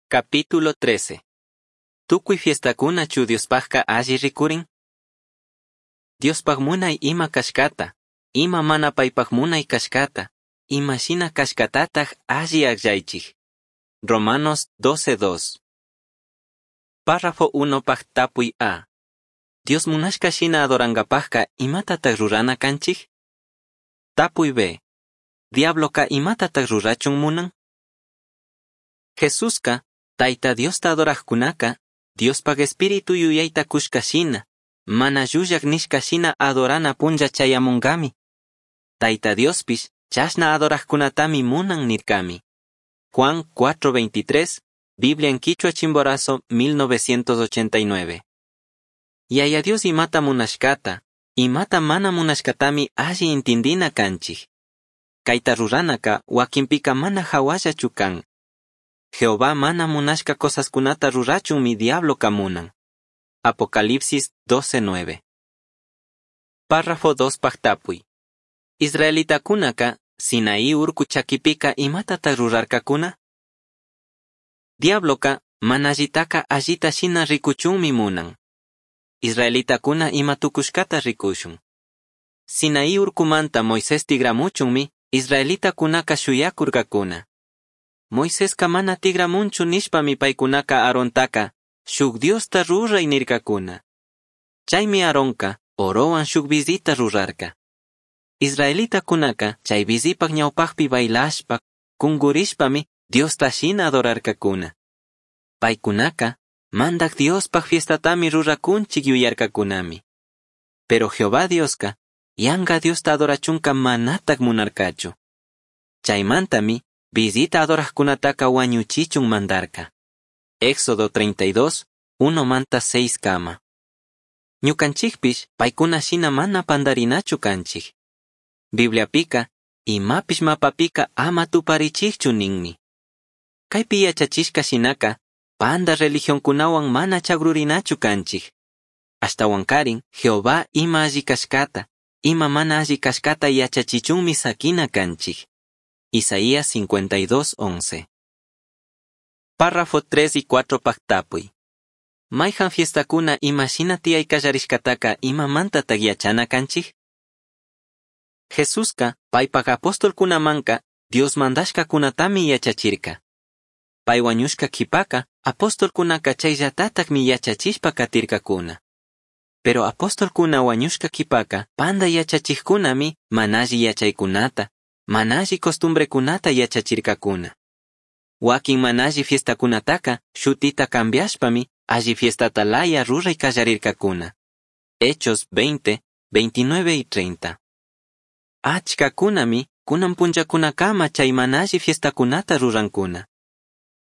Capítulo 13. Tukuy fiestakunachu Diospajka alli rikurin? Diospaj munay ima kashkata, ima mana paypaj munay kashkata, ima shina kashkatataj alli akllaychik. Romanos 12.2. Párrafo 1 paj tapuy A. Dios munashka shina adorankapajka imatataq rurana kanchik? Tapuy B. Diabloka imatataq rurachun munan? Jesuska, Tayta Diosta adorajkunaka, Diospaj espíritu yuyayta kushka shina, mana llullak nishka shina adorana punlla chayamunkami. Tayta Diospish chashna adorajkunatami munan nirkami. Juan 4:23, Biblia en Quichua Chimborazo, 1989. Yaya Dios imata munashkata, imata mana munashkatami alli intindina kanchik. Kayta ruranaka wakinpika mana hawallachu kan. Jehová mana munashka cosaskunata rurachunmi diabloka munan. Apocalipsis 12:9. Párrafo 2 paj tapuy. Israelitakunaka Sinaí urku chakipika imatataq rurarkakuna? Diabloka mana allitaka allita shina rikuchunmi munan. Israelitakuna ima tukushkata rikushun. Sinaí urkumanta Moisés tigramuchunmi israelitakunaka shuyakurkakuna. Moiseska mana tigramunchu nishpami paykunaka Aarontaka shuk Diosta ruray nirkakuna. Chaymi Aaronka orowan shuk bizita rurarka. Israelitakunaka chay bizipak ñawpakpi bailashpa, kungurishpami Diosta shina adorarkakuna. Paykunaka mandak Diospaj fiestatami rurakunchik yuyarkakunami. Pero Jehová Dioska yanga Diosta adorachunka manatak munarkachu. Chaymantami bizita adorajkunataka wañuchichun mandarka. Éxodo 32, 1 manta 6 kama. Ñukanchikpish paykuna shina mana pandarinachu kanchik. Bibliapika, imapish mapapika ama tuparichikchu ninmi. Kaypi yachachishka shinaka, panda religionkunawan mana chagrurinachu kanchik. Ashtawankarin, Jehová ima alli kashkata, ima mana alli kashkata yachachichunmi sakina kanchik. Isaías 52:11. Párrafo 3 y 4 paj tapuy. Mayhan fiestakuna ima shina tiyay kallarishkataka imamantatak yachana kanchik? Jesuska paypak apostolkunamanka Dios mandashkakunatami yachachirka. Pay wañushka qhipaka apostolkunaka chayllatatakmi yachachishpa katirkakuna. Pero apostolkuna wañushka qhipaka panda yachachikkunami mana alli yachaykunata, mana alli costumbrekunata yachachirkakuna. Wakin mana alli fiestakunataka shutita cambiashpami alli fiestata laya ruray kallarirkakuna. Hechos 20, 29 y 30. Achkakunami kunan punllakunakama chay mana alli fiestakunata rurankuna.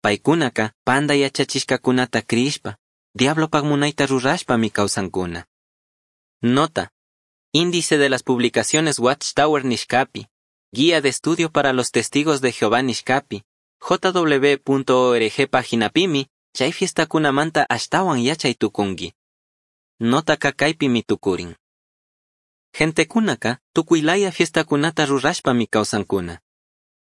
Paykunaka panda yachachishkakunata crishpa, diablopak munayta rurashpami kawsankuna. Nota. Índice de las publicaciones Watchtower nishkapi, Guía de estudio para los testigos de Jehová nishkapi, jw.org paginapimi, chay fiestakunamanta ashtawan yachay tukunki. Notaka kaypimi tukurin. Gentekunaka tukuylaya fiestakunata rurashpami kawsankuna.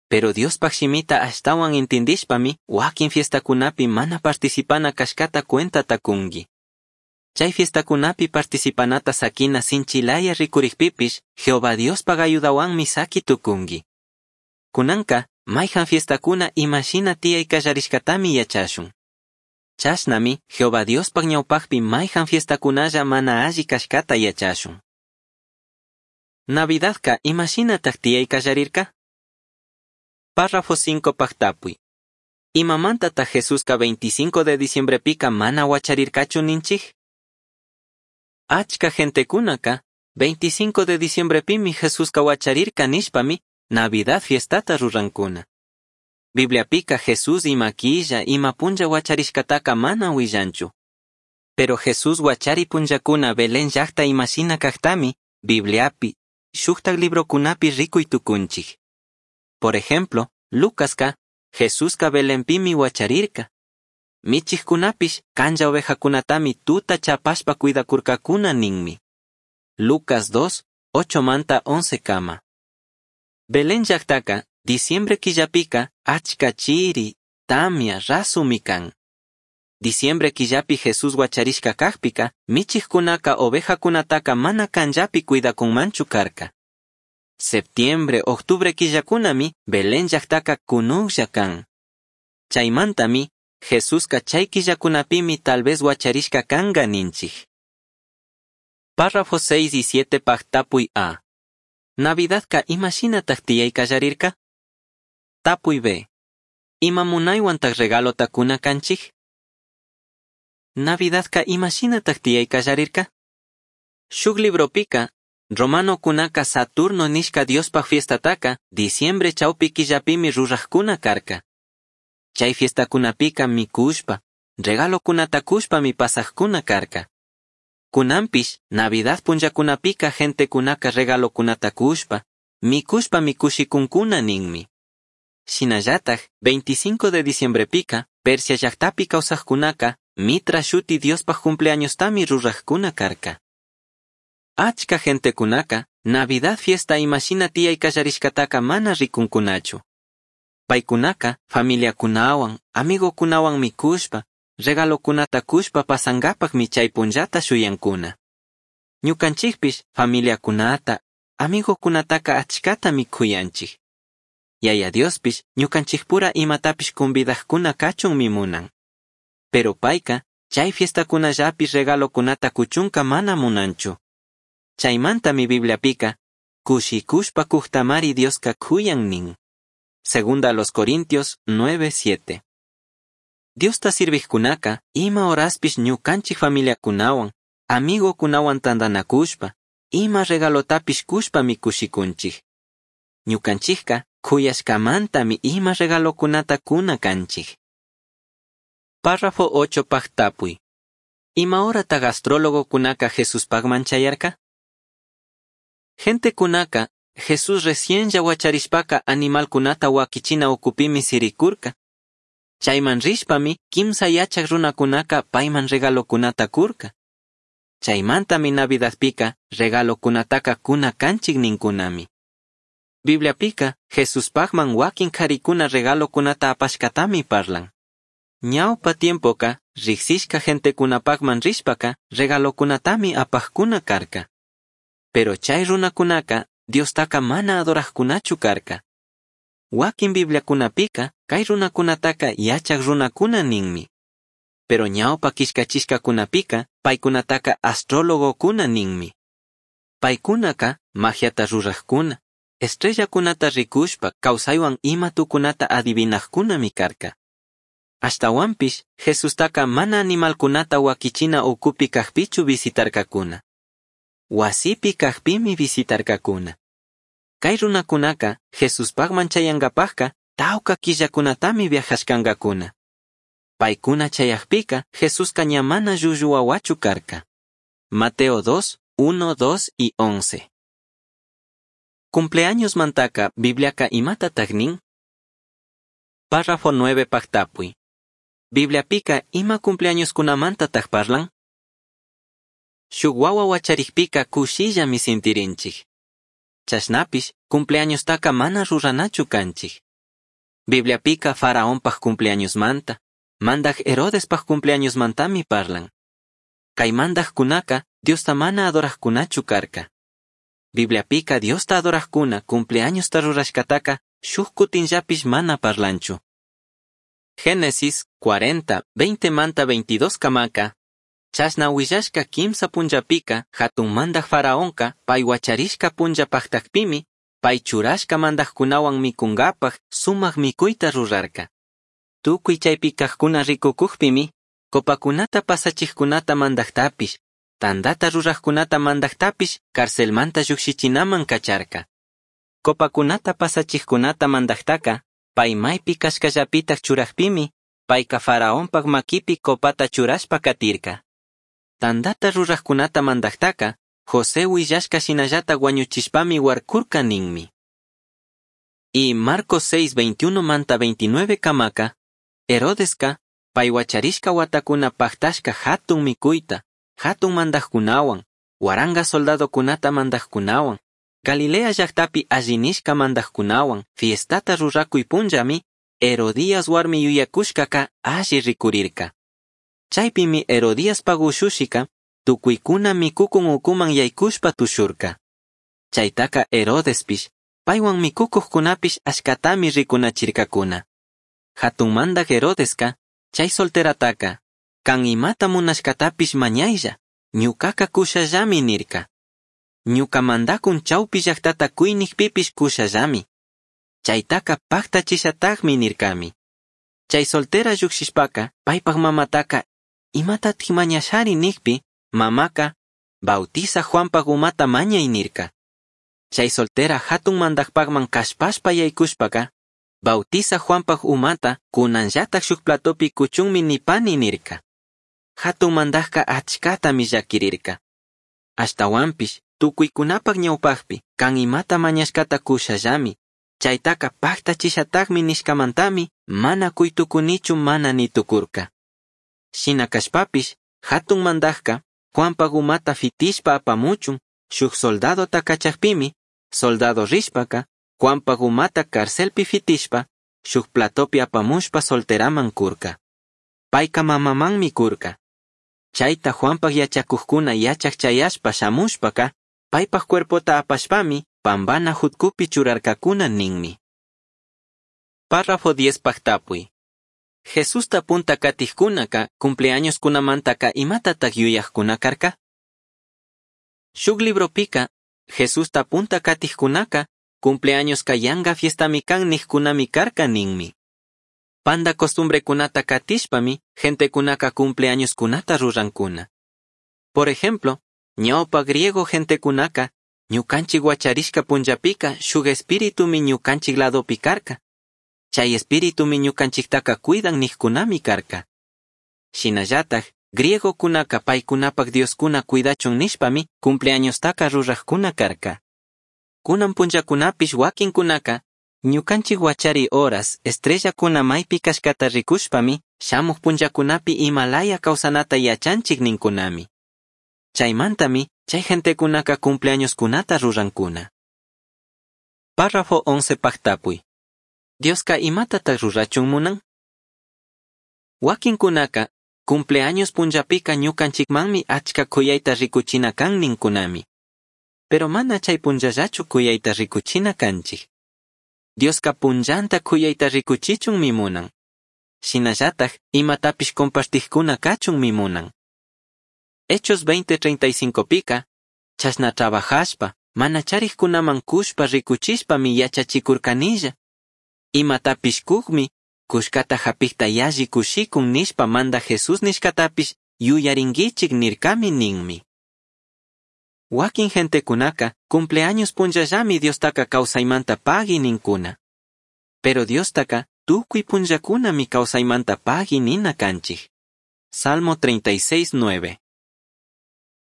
Pero Diospaj shimita ashtawan intindishpami wakin fiestakunapi mana participana kashkata cuentata kunki. Chay fiestakunapi participanata sakina sinchilaya rikurikpipish Jehová Diospaj ayudawanmi saki tukunki. Kunanka mayhan fiestakuna imashina tiyay kallarishkatami yachashun. Chashnami Jehová Diospaj ñawpakpi mayhan fiestakunalla mana alli kashkata yachashun. Navidadka imashinatak tiyay kallarirka? Párrafo 5 paj tapuy. Imamantataj Jesuska 25 de diciembrepika mana wacharirkachu ninchik? Achka gentekunaka 25 de diciembrepimi Jesuska wacharirka nishpami Navidad fiestata rurankuna. Bibliapika Jesús ima killa, ima punlla wacharishkataka mana willanchu. Pero Jesús wachari punllakuna Belén llakta imashina kaktami Bibliapi, shuktak librokunapi rikuy tukunchik. Por ejemplo, Lucaska, Jesuska Belenpimi wacharirka. Michikkunapish kanlla ovejakunatami tuta chapashpa cuidakurkakuna ninmi. Lucas 2, 8 manta 11 kama. Belén llaktaka, diciembre killapika, achka chiri, tamia rasumi can. Diciembre quillapi Jesús huacharishca cajpica, michijcunaca ovejacunataca mana canllapi cuidacunmanchu carca. Septiembre, octubre quillacunami Belén llajtaca cunujlla can. Chaimantami, Jesusca chay quillacunapimi tal vez huacharishca canga ninchij. Párrafo 6 y 7 paj tapuy A. Navidadka imashinataj tiyay kallarirka? Tapuy B. Ima munaywantaj regalota kuna kanchij? Navidadka imashinataj tiyay kallarirka? Shuk libropika, romanokunaka Saturno nishka Diospaj fiestataka diciembre chawpi killapimi rurajkuna karka. Chay fiestakunapika mikushpa, regalokunata kushpami pasajkuna karka. Kunanpish, Navidad punllakunapika gentekunaka regalokunata kushpa, mikushpami kushikunkuna ninmi. Shinallataj, 25 de diciembrepika, Persia llajtapi kawsajkunaka, Mitra shuti Diospaj cumpleañostami rurajkuna karka. Achka gentekunaka, Navidad fiesta imashina tiyay kallarishkataka mana rikunkunachu. Paykunaka, familiakunawan, amigokunawan mikushpa, regalokunata kushpa pasangapajmi chay punllata shuyankuna. Ñukanchikpish familiakunata, amigokunataka achkatami kuyanchik. Yaya Diospish ñukanchikpura imatapish convidajkuna kachunmi munan. Pero payka, chay fiestakunallapi regalokunata kuchunka mana munanchu. Chaymantami Bibliapika, kushikushpa kujtamari Dioska kuyan nin. Segunda a los Corintios 9:7. Diosta sirvijkunaka, ima horaspish ñukanchik familiakunawan, amigokunawan tandanakushpa, ima regalotapish kushpami kushikunchik. Ñukanchikka kuyashkamantami ima regalokunata kuna kanchik. Párrafo 8 paj tapuy. Ima horataq astrólogokunaka Jesuspajman chayarka? Gentekunaka, Jesús recién huacharishpaka animalkunata wakichina ukupimi sirikurka. Chayman rishpami kimsa yachak runakunaka payman regalokunata kurka. Chaymantami Navidadpika regalokunataka kuna kanchik ninkunami. Bibliapika Jesuspajman wakin karikuna regalokunata apashkatami parlan. Ñawpa tiempoka riksishka gentekunapajman rishpaka regalokunatami apajkuna karka. Pero chay runakunaka Diostaka mana adorajkunachu karka. Wakin Bibliakunapika kay runakunataka yachak runakuna ninmi. Pero ñawpa killkachishkakunapika paykunataka astrólogokuna ninmi. Paykunaka magiata rurajkuna, estrellakunata rikushpa kawsaywan ima tukunata adivinajkunami karka. Ashtawanpish Jesustaka mana animalkunata wakichina ukupi kajpichu visitarkakuna. Wasipi kajpimi visitarkakuna. Kay runakunaka Jesuspajman chayankapajka tawka killakunatami viajashkankakuna. Paykuna chayajpika Jesuska ña mana llullu wawachu karka. Mateo 2, 1, 2 y 11. Cumpleaños mantaka Bibliaka imatataj nin? Párrafo 9 paj tapuy. Bibliapika ima cumpleañoskunamantataj parlan? Shuk wawa wacharijpika kushillami sintirinchik. Chashnapish cumpleañostaka mana ruranachu kanchik. Bibliapika faraonpaj cumpleañosmanta, mandaj Herodespaj cumpleañosmantami parlan. Kay mandajkunaka Diosta mana adorajkunachu karka. Bibliapika Diosta adorajkuna cumpleañosta rurashkataka shuj kutinllapish mana parlanchu. Génesis 40, 20 manta 22 kamaka, chashna willashka kimsa punllapika hatun mandaj faraonka pay wacharishka punlla pajtakpimi, pay churashka mandajkunawan mikunkapaj sumak mikuyta rurarka. Tukuy chaypi kajkuna rikukujpimi, copakunata pasachijkunata mandajtapish, tandata rurajkunata mandajtapish carcelmanta llukshichinaman kacharka. Copakunata pasachijkunata mandajtaka, pay maypi kashkallapitaj churajpimi, payka faraonpaj makipi copata churashpa katirka. Tandata rurajkunata mandajtaka, José willashka shinallata wañuchishpami warkurka ninmi. Y Marcos 6, 21 manta 29 kamaka, Herodeska, pay wacharishka watakuna paktashka hatun mikuyta, hatun mandajkunawan, waranga soldadokunata mandajkunawan, Galilea llaktapi allinishka mandajkunawan, fiestata rurakuy punllami, Herodías huarmi yuyacushcaca alli ricurirca. Chaipimi Herodiaspaj ushushica tucuicuna micucun ucuman yaicushpa tushurca. Chaitaca Herodespish, paihuan micucujcunapish achcatami ricunachircacuna. Jatun mandaj Herodesca, chai solterataca, can imata munashcatapish mañailla, ñucaca cushallami nirca. Ñuca mandacun chaupi llajtata cui nijpipish cushallami. Chaitaca pajtachishatajmi nircami. Chai soltera llujshishpaca, paipaj mamataca, imatataj mañashari nijpi, mamaca, Bautizaj Juanpaj umata mañai nirca. Chai soltera jatun mandajpajman callpashpa yaicushpaca, Bautizaj Juanpaj umata cunanllataj shuj platopi cuchunmi nipani nirca. Jatun mandajca achcatami llaquirirca. Ashtahuanpish tucuicunapaj ñaupajpi can imata mañashcata cushallami, chaitaca pajtachishatajmi nishcamantami mana cui tucunichu mana ni tucurca. Shina cashpapish jatun mandajca Juanpaj umata fitishpa apamuchun shuj soldadota cachajpimi, soldado rishpaca Juanpaj umata carcelpi fitishpa shuj platopi apamushpa solteraman curca. Paica mamamanmi curca. Chaita Juanpaj yachacujcuna yachaj chayashpa shamushpaca, paipaj cuerpota apashpami pambana jutcupi churarcacuna ninmi. Párrafo 10 pajtapuy. Jesusta punta catijcunaca cumpleañoscunamantaca imatataj yuyajcuna carca? Shuj libropica, Jesusta punta catijcunaca cumpleañosca yanga fiestami can nijcunami carca ninmi. Panda costumbrecunata catishpami gentecunaca cumpleañoscunata rurancuna. Por ejemplo, ñaupa griego gentecunaca ñucanchik huacharishca punllapica shuj espiritumi ñucanchik ladopi carca. Chay espiritumi ñucanchiktaca cuidan nijcunami carca. Shinallataj, griegocunaca paicunapaj dioscuna cuidachun nishpami cumpleañostaca rurajcuna carca. Cunan punllacunapish huaquincunaca ñucanchik huachari horas estrellacuna maipi cashcata ricushpami shamuj punllacunapi imalaya causanata yachanchik nincunami. Chaimantami chay gentecunaca cumpleañoscunata rurancuna. Párrafo 11 pajtapuy. Diosca imatataj rurachun munan? Huaquincunaca cumpleaños punllapica ñucanchikmanmi achca cuyaita ricuchina can nincunami. Pero mana chay punllallachu cuyaita ricuchina canchik. Diosca punllanta cuyaita ricuchichunmi munan. Shinallataj imatapish compartijcuna cachunmi munan. Hechos 20:35 pica, chashna trabajashpa, mana charijcunaman cushpa ricuchishpami yachachicurcanilla. Imatapish cujmi, cushcata japijta yalli cushicun nishpa manda Jesús nishcatapish yuyaringuichik nircami ninmi. Wakin gentecunaca cumpleaños punllallami Diostaca causaimanta pagui nincuna. Pero Diostaca tucui punllacunami causaimanta pagui nina canchij. Salmo 36:9.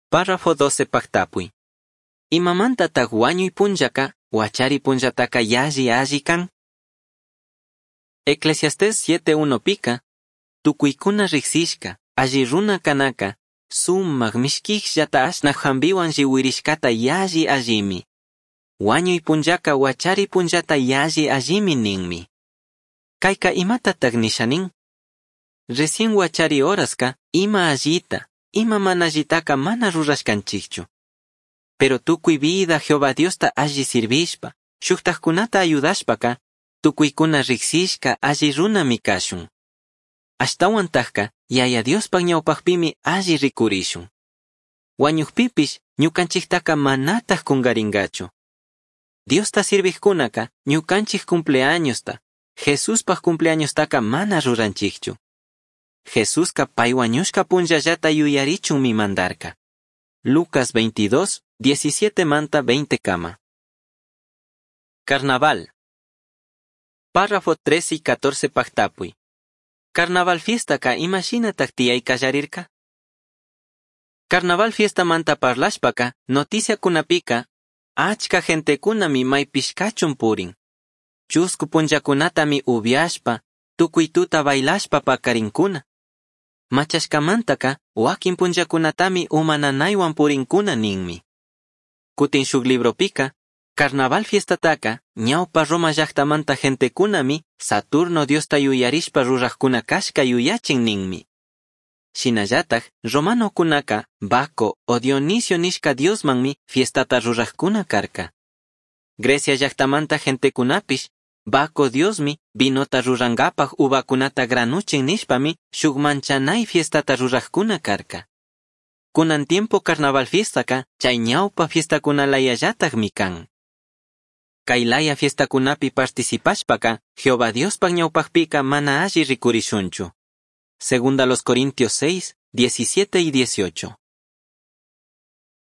Párrafo 12 pajtapuy. Imamantataj huañuy punllaca, huachari punllataca yalli alli can? Eclesiastés 7:1 pica, tucuicuna rijsishca, alli runa canaca, sumaj mishquijllata ashnaj jambihuan llihuirishcata yalli allimi. Huañuy punllaca huachari punllata yalli allimi ninmi. Caica imatataj nisha nin? Recién huachari horasca, ima allita, ima mana allitaca mana rurashcanchikchu. Pero tucui vida Jehová Diosta alli sirvishpa, shujtajcunata ayudashpaca, tucuicuna rijsishca alli runami cashun. Ashtahuantajca, Yaya Diospaj ñaupajpimi alli ricurishun. Huañujpipish ñucanchiktaca manataj cungaringachu. Diosta sirvijcunaca ñucanchik cumpleañosta, Jesuspaj cumpleañostaca mana ruranchikchu. Jesusca pai huañushca punllallata yuyarichunmi mandarca. Lucas 22, 17 manta 20 kama. Carnaval. Párrafo 13 y 14 pajtapuy. Carnaval fiestaka imashinataj tiyai kallarirka? Carnaval fiesta manta parlashpaka, noticiakunapika, achka gentekunami maypish kachun purin. Chusku punllakunatami upiashpa, tukuy tuta bailashpa pakarinkuna. Machashkamantaka, wakin punllakunatami uma nanaywan purinkuna ninmi. Kutin shuk libropika, Carnaval fiestataca ñaupa Roma llajtamanta gentecunami Saturno diosta yuyarishpa rurajcuna cashca yuyachin ninmi. Shinallataj romanocunaca Baco o Dionisio nishca diosmanmi fiestata rurajcuna carca. Grecia llajtamanta gentecunapish Baco diosmi vinota rurangapaj uvacunata granuchin nishpami shuk manchanai fiestata rurajcuna carca. Kunan tiempo carnaval fiestaka chay ñaupa fiestakunalayallatajmi kan. Kay laya fiestakunapi participashpaka Jehová Diospaj ñawpajpika mana alli rikurishunchu. Segunda los Corintios 6, 17 y 18.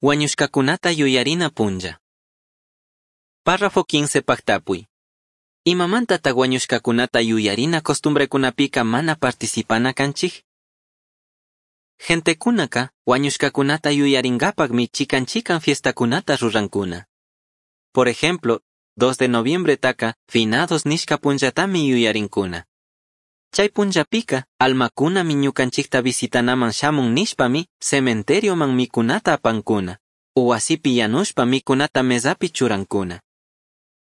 Huañushkakunata yuyarina punlla. Párrafo 15 pajtapuy. Imamantataj huañushkakunata yuyarina costumbrekunapika mana participana kanchik? Gentekunaka huañushkakunata yuyaringapakmi chikan chikan fiestakunata rurankuna. Por ejemplo, 2 de noviembre taka finados nishka punllatami yuyarinkuna. Chay punllapika almakunami ñukanchikta visitanaman shamun nishpami cementerioman mikunata apankuna, o wasipi yanushpa mikunata mesapi churankuna.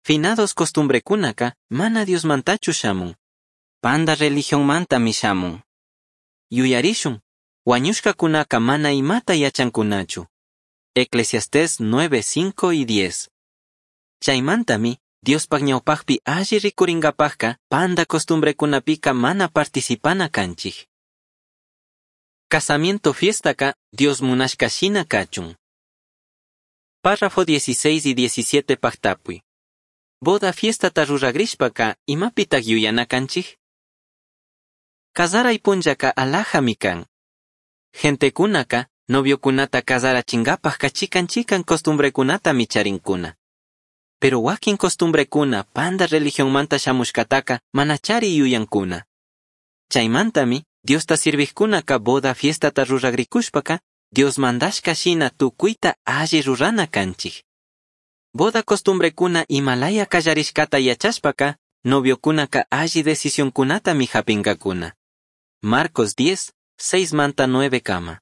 Finados costumbrekunaka mana Diosmantachu shamun. Panda religionmantami shamun. Yuyarishun, huañushkakunaka mana imata yachankunachu. Eclesiastés 9, 5 y 10. Chaymantami, Diospaj ñawpajpi alli rikuringapajka panda costumbrekunapika mana participana kanchik. Casamiento fiestaka Dios munashka shina kachun. Párrafo 16 y 17 pajtapuy. Boda fiestata ruragrishpaka imapitaj yuyana kanchik? Cazaray punllaka alajami kan. Gentekunaka noviokunata cazarachingapajka chikan chikan costumbrekunatami charinkuna. Pero wakin costumbrekuna panda religionmanta shamushkataka manachari yuyankuna. Chaymantami Diosta sirvijkunaka boda fiestata ruragrikushpaka Dios mandashka shina tukuyta alli rurana kanchik. Boda costumbrekuna imalaya kallarishkata yachashpaka noviokunaka alli decisionkunatami hapinkakuna. Marcos 10, 6 manta 9 kama.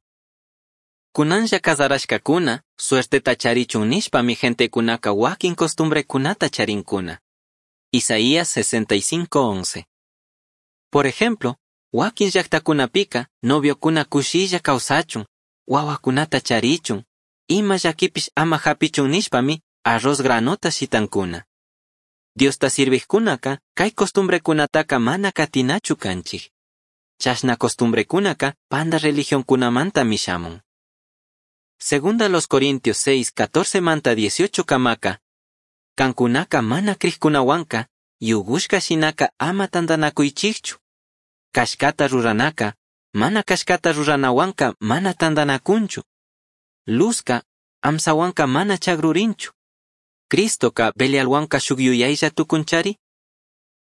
Kunanlla kazarashkakuna, suerteta charichun nishpami gentekunaka wakin costumbrekunata charinkuna. Isaías 65:11. Por ejemplo, wakin llaktakunapika noviokuna kushilla kawsachun, wawakunata charichun, ima llakipish ama hapichun nishpami arroz granota shitankuna. Diosta sirvijkunaka kay costumbrekunataka mana katinachu kanchik. Chashna costumbrekunaka panda religionkunamantami shamun. Segunda los Corintios 6, 14 manta 18 kamaka, kankunaka mana krijkunawanka, yugushka shinaka ama tantanakuychikchu. Kashkata ruranaka, mana kashkata ruranawanka mana tantanakunchu. Luzka, amsawanka mana chagrurinchu. Cristoka Belialwanka shuk yuyaylla tukunchari?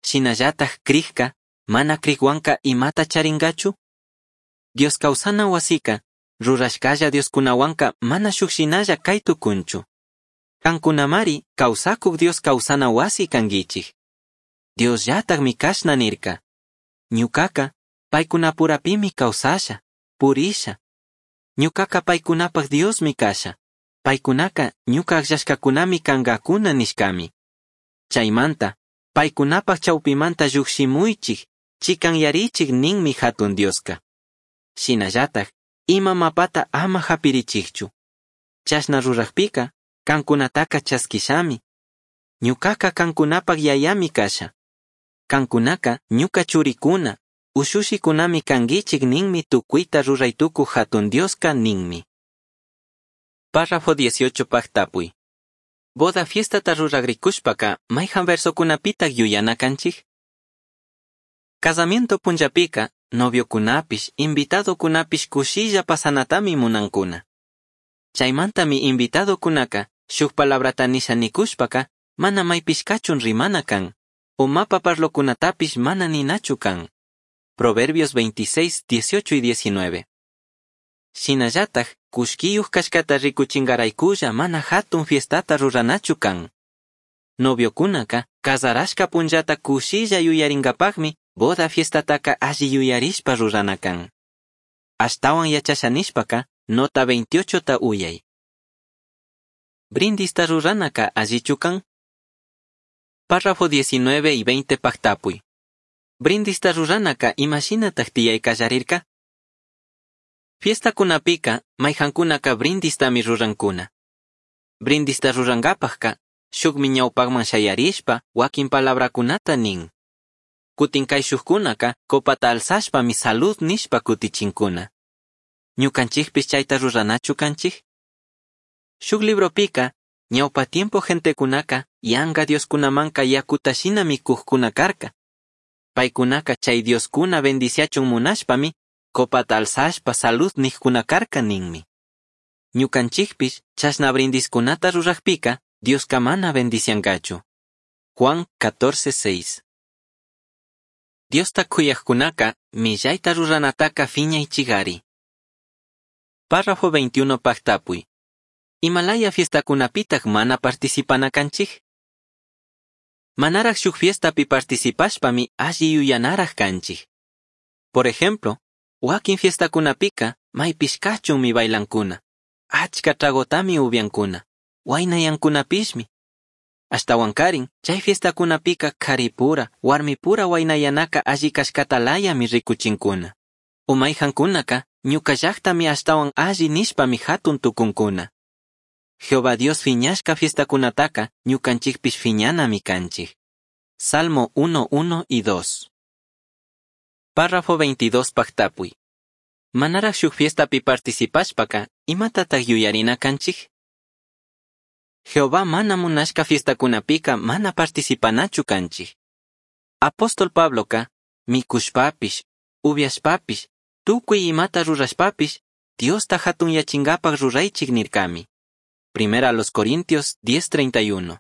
Shinallataj krijka, mana krijwanka imata charingachu? Dios kawsana wasika, rurashkalla Dioskunawanka mana shuk shinalla kay tukunchu. Kankunamari kawsakuk Dios kawsana wasi kankichik. Diosllatakmi kashna nirka. Ñukaka paykunapurapimi kawsasha, purisha. Ñukaka paykunapaj Diosmi kasha. Paykunaka ñuka akllashkakunami kankakuna nishkami. Chaymanta, paykunapaj chawpimanta llukshimuychik, chikanyarichik ninmi hatun Dioska. Shinallataj, ima mapata ama hapirichikchu. Chashna rurajpika, kankunataka chaskishami. Ñukaka kankunapaj yayami kasha. Kankunaka ñuka churikuna, ushushikunami kankichik ninmi tukuyta ruraytukuj hatun Dioska ninmi. Párrafo 18 pajtapuy. Boda fiestata ruragrikushpaka mayhan versokunapitaj yuyana kanchik? Casamiento punllapika noviokunapish, invitadokunapish kushilla pasanatami munankuna. Chaymantami invitadokunaka shuk palabrata nisha nikushpaka mana maypish kachun rimana kan, o mapa parlokunatapish mana ninachu kan. Proverbios 26, 18 y 19. Shinallataj kushkiyuj kashkata rikuchingaraykulla mana hatun fiestata ruranachu kan. Noviokunaka kazarashka punllata kushilla yuyaringapajmi boda fiestataka alli yuyarishpa rurana kan. Ashtawan yachasha nishpaka nota 28 ta uyay. Brindista ruranaka allichu kan? Párrafo 19 y 20 pajtapuy. Brindista ruranaka imashinataj tiyai kallarirka? Fiestakunapika mayhankunaka brindistami rurankuna. Brindista rurankapajka shukmi ñawpakman shayarishpa wakin palabrakunata nin. Kutin kayshukkunaka copata alzashpami salud nishpa kutichinkuna. Ñukanchikpish chayta ruranachu kanchik? Shuk libropika ñawpa tiempo gentekunaka yanga dioskunamanka yakuta shinami kujkuna karka. Paykunaka chay dioskuna bendiciachun munashpami copata alzashpa salud nijkuna karka ninmi. Ñukanchikpish chashna brindiskunata rurajpika Dioska mana bendiciankachu. Juan 14:6. Diosta kuyajkunaka millayta ruranataka fiñaychigari. Párrafo 21 pajtapuy. Imalaya fiestakunapitaj mana participana kanchik? Manaraj shuk fiestapi participashpami alli yuyanaraj kanchik. Por ejemplo, wakin fiestakunapika maypish kachunmi bailankuna, achka tragotami upiankuna, waynayankunapishmi. Ashtawankarin, chay fiestakunapika karipura, warmipura waynayanaka alli kashkatalayami rikuchinkuna. O mayhankunaka ñuka llaktami ashtawan alli nishpami hatun tukunkuna. Jehová Dios fiñashka fiestakunataka ñukanchikpish fiñanami kanchik. Salmo 1, 1 y 2. Párrafo 22 pajtapuy. Manaraj shuk fiestapi participashpaka, imatataq yuyarina kanchik? Jehová mana munashka fiestakunapika mana participanachu kanchik. Apóstol Pabloka, mikushpapish, upiashpapish, tukuy imata rurashpapish, Diosta hatunyachinkapak ruraychik nirkami. Primera a los Corintios 10:31.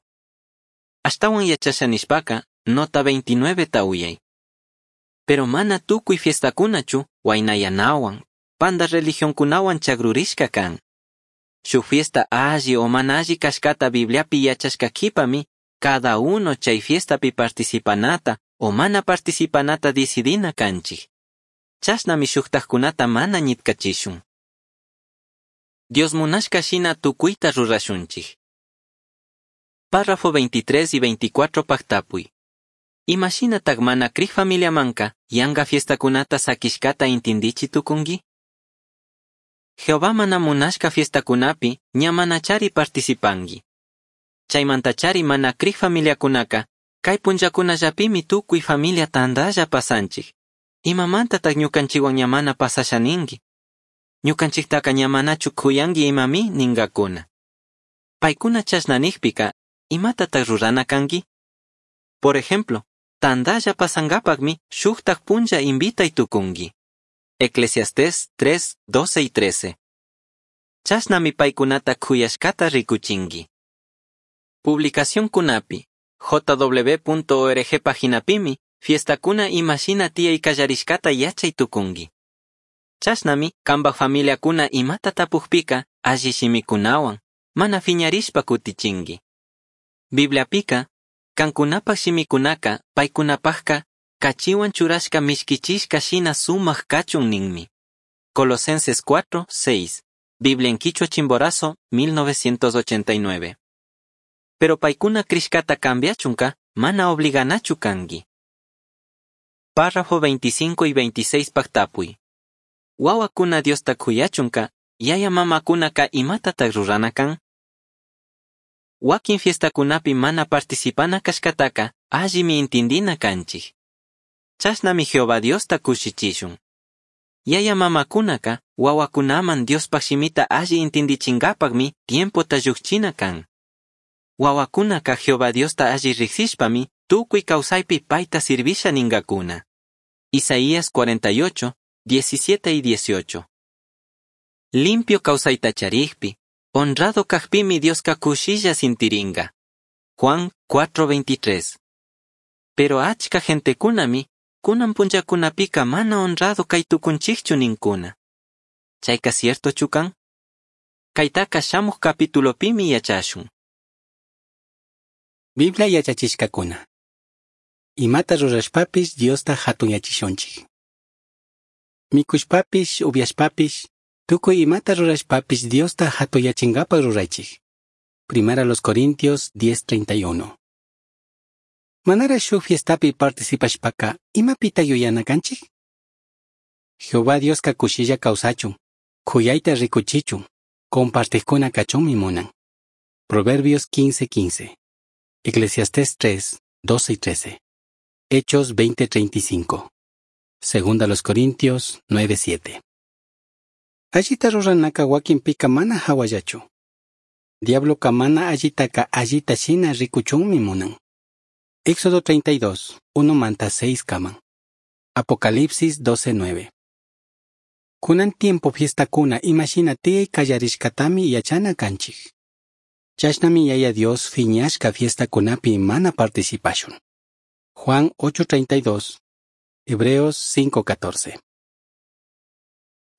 Ashtawan yachasha nishpaka, nota 29 ta uyay. Pero mana tukuy fiestakunachu, waynayanawan, panda religionkunawan chagrurishka kan. Shuk fiesta alli o mana alli kashkata Bibliapi yachashka kipami, cada uno chay fiestapi participanata o mana participanata decidina kanchik. Chashnami shuktajkunata mana ñitkachishun. Dios munashka shina tukuyta rurashunchik. Párrafo 23 y 24 pajtapuy. Imashinatak mana krij familiamanka yanga fiestakunata sakishkata intindichi tukunki? Jehová mana munashka fiestakunapi ña manachari participanki. Chaymantachari mana krij familiakunaka kay punllakunallapimi tukuy familia tandalla pasanchik. Imamantatak ñukanchikwan ña mana pasasha ninki? Ñukanchiktaka ña manachu kuyanki imami ninkakuna. Paykuna chashna nijpika, imatatak rurana kanki? Por ejemplo, tandalla pasankapakmi shuktak punlla invitay tukunki. Eclesiastés 3, 12 y 13. Chashnami paykunata kuyashkata rikuchinki. Publicación kunapi, jw.org paginapimi, fiestakuna imashina tiyay kallarishkata yachay tukunki. Chashnami kanpak familiakuna imata tapukpika alli shimikunawan, mana fiñarishpa kutichinki. Bibliapika, kankunapak shimikunaka paykunapakka kachiwan churashka mishkichishka shina sumak kachun ninmi. Colosenses 4, 6. Biblia en Quichua Chimborazo, 1989. Pero paykuna krishkata cambiachunka mana obliganachu kanki. Párrafo 25 y 26 pajtapuy. Wawakuna Diosta kuyachunka, yaya mamakunaka imatatak rurana kan? Wakin fiestakunapi mana participana kashkataka allimi intindina kanchik. Chashnami Jehová Diosta kushichishun. Yaya mamakunaka wawakunaman Diospak shimita alli intindichinkapakmi tiempota llukchina kan. Wawakunaka Jehová Diosta alli riksishpami tukuy kawsaypi payta servisha ninkakuna. Isaías 48, 17 y 18. Limpio kawsayta charikpi, honrado kajpimi Dioska kushilla sintiringa. Juan 4:23. Pero achka gentekunami, kunan punllakunapika mana honrado kay tukunchikchu ninkuna. Chayka ciertochu kan? Kaytaka shamuj capitulopimi yachashun. Biblia yachachishkakuna. Imata rurashpapish Diosta hatunyachishunchik. Mikushpapish, upiashpapish, tukuy imata rurashpapish Diosta hatunyachinkapak ruraychik. Primera los Corintios 10:31. Manara shuj fiestapi participashpaca imapita yuyana canchij? Jehová Diosca cushilla causachun, juyaita ricuchichun, compartijcuna cachunmi munan. Proverbios 15:15, Eclesiastés 3, 12 y 13, Hechos 20:35, Segunda los Corintios 9:7. Allita ruranaka wakinpika mana hawallachu. Diabloca mana allitaka allita shina rikuchunmi munan. Éxodo 32, 1 manta 6 kaman. Apocalipsis 12:9. Kunan tiempo fiestakuna imashina tiyai kallarishkatami yachana kanchik. Chashnami Yaya Dios fiñashka fiestakunapi mana participashun. Juan 8:32, Hebreos 5:14.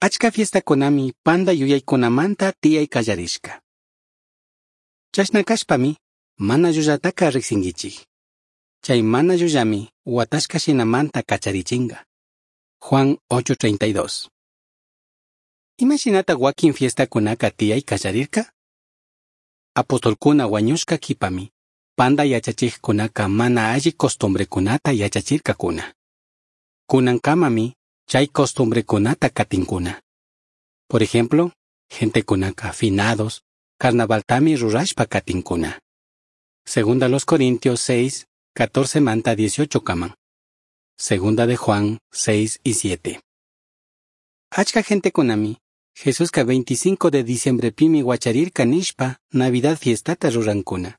Achka fiestakunami panda yuyaykunamanta tiyai kallarishka. Chashna kashpami mana llullataka riksinkichik. Chay mana llullami watashka shinamanta kacharichinga. Juan 8:32. Imashinata wakin fiestakunaka tiyai kallarirka? Apostolkuna wañushka kipami, panda yachachikkunaka mana alli costumbrekunata yachachirkakuna. Kunankamami chay costumbrekunata katinkuna. Por ejemplo, gentekunaka finados, carnavaltami rurashpa katinkuna. Segunda los Corintios 6, 14 manta 18 kaman. Segunda de Juan 6 y 7. Achka gentekunami, Jesuska 25 de diciembre pimi wacharirka nishpa Navidad fiestata rurankuna.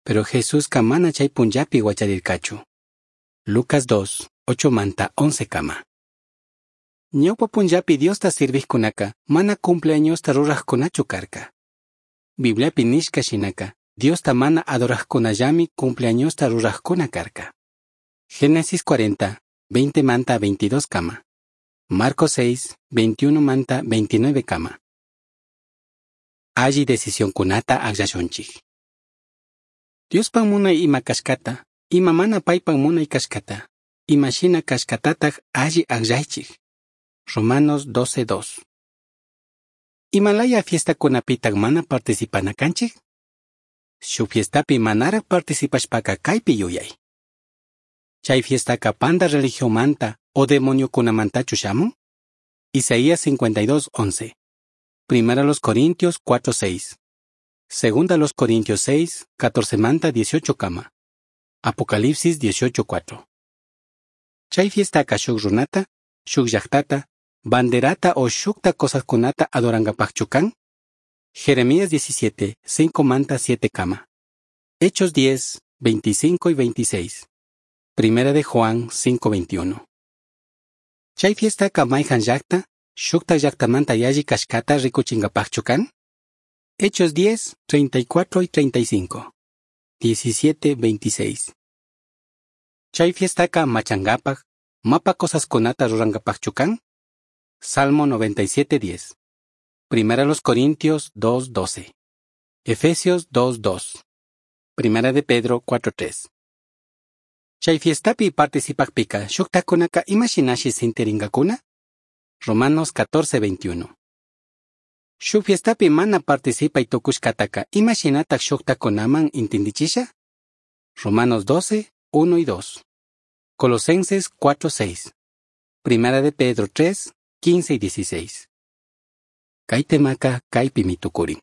Pero Jesuska mana chay punllapi wacharirkachu. Lucas 2, 8 manta 11 kama. Ñawpa punllapi Diosta sirvijkunaka mana cumpleañosta rurajkunachu karka. Bibliapi nishka shinaka, Diosta mana adorajkunallami cumpleañosta rurajkuna karka. Génesis 40, 20 manta 22 kama. Marcos 6, 21 manta 29 kama. Alli decisionkunata akllashunchik. Diospan munay ima kashkata, ima mana paypan munay kashkata, ima shina kashkatataj alli akllaychik. Romanos 12:2. Imalaya fiestakunapitaq mana participana kanchik? Shuk fiestapi manaraq participashpaka kaypi yuyay. Chay fiestaka panda religionmanta o demoniokunamantachu shamun? Isaías 52:11. Primera los Corintios 4:6. Segunda los Corintios 6, 14 manta 18 kama. Apocalipsis 18:4. Chay fiestaka shuk runata, shuk llaqtata, banderata o shukta cosaskunata adorankapaqchu kan? Jeremías 17, 5 manta 7 kama. Hechos 10, 25 y 26. Primera de Juan 5:21. Chay fiestaka mayhan llaqta, shukta llaqtamanta yalli kashkata rikuchinkapaqchu kan? Hechos 10, 34 y 35. 17, 26. Chay fiestaka machankapak, mapa cosaskunata rurankapaqchu kan? Salmo 97, 10. Primera los Corintios 2, 12. Efesios 2, 2. Primera de Pedro 4, 3. Chay fiestapi participakpika shuktakunaka imashinashi sintiringakuna? Romanos 14, 21. Shuk fiestapi mana participay tukushkataka imashinatak shuktakunaman intindichisha? Romanos 12, 1 y 2. Colosenses 4, 6. Primera de Pedro 3, 15 y 16. Kay temaka kaypimi tukurin.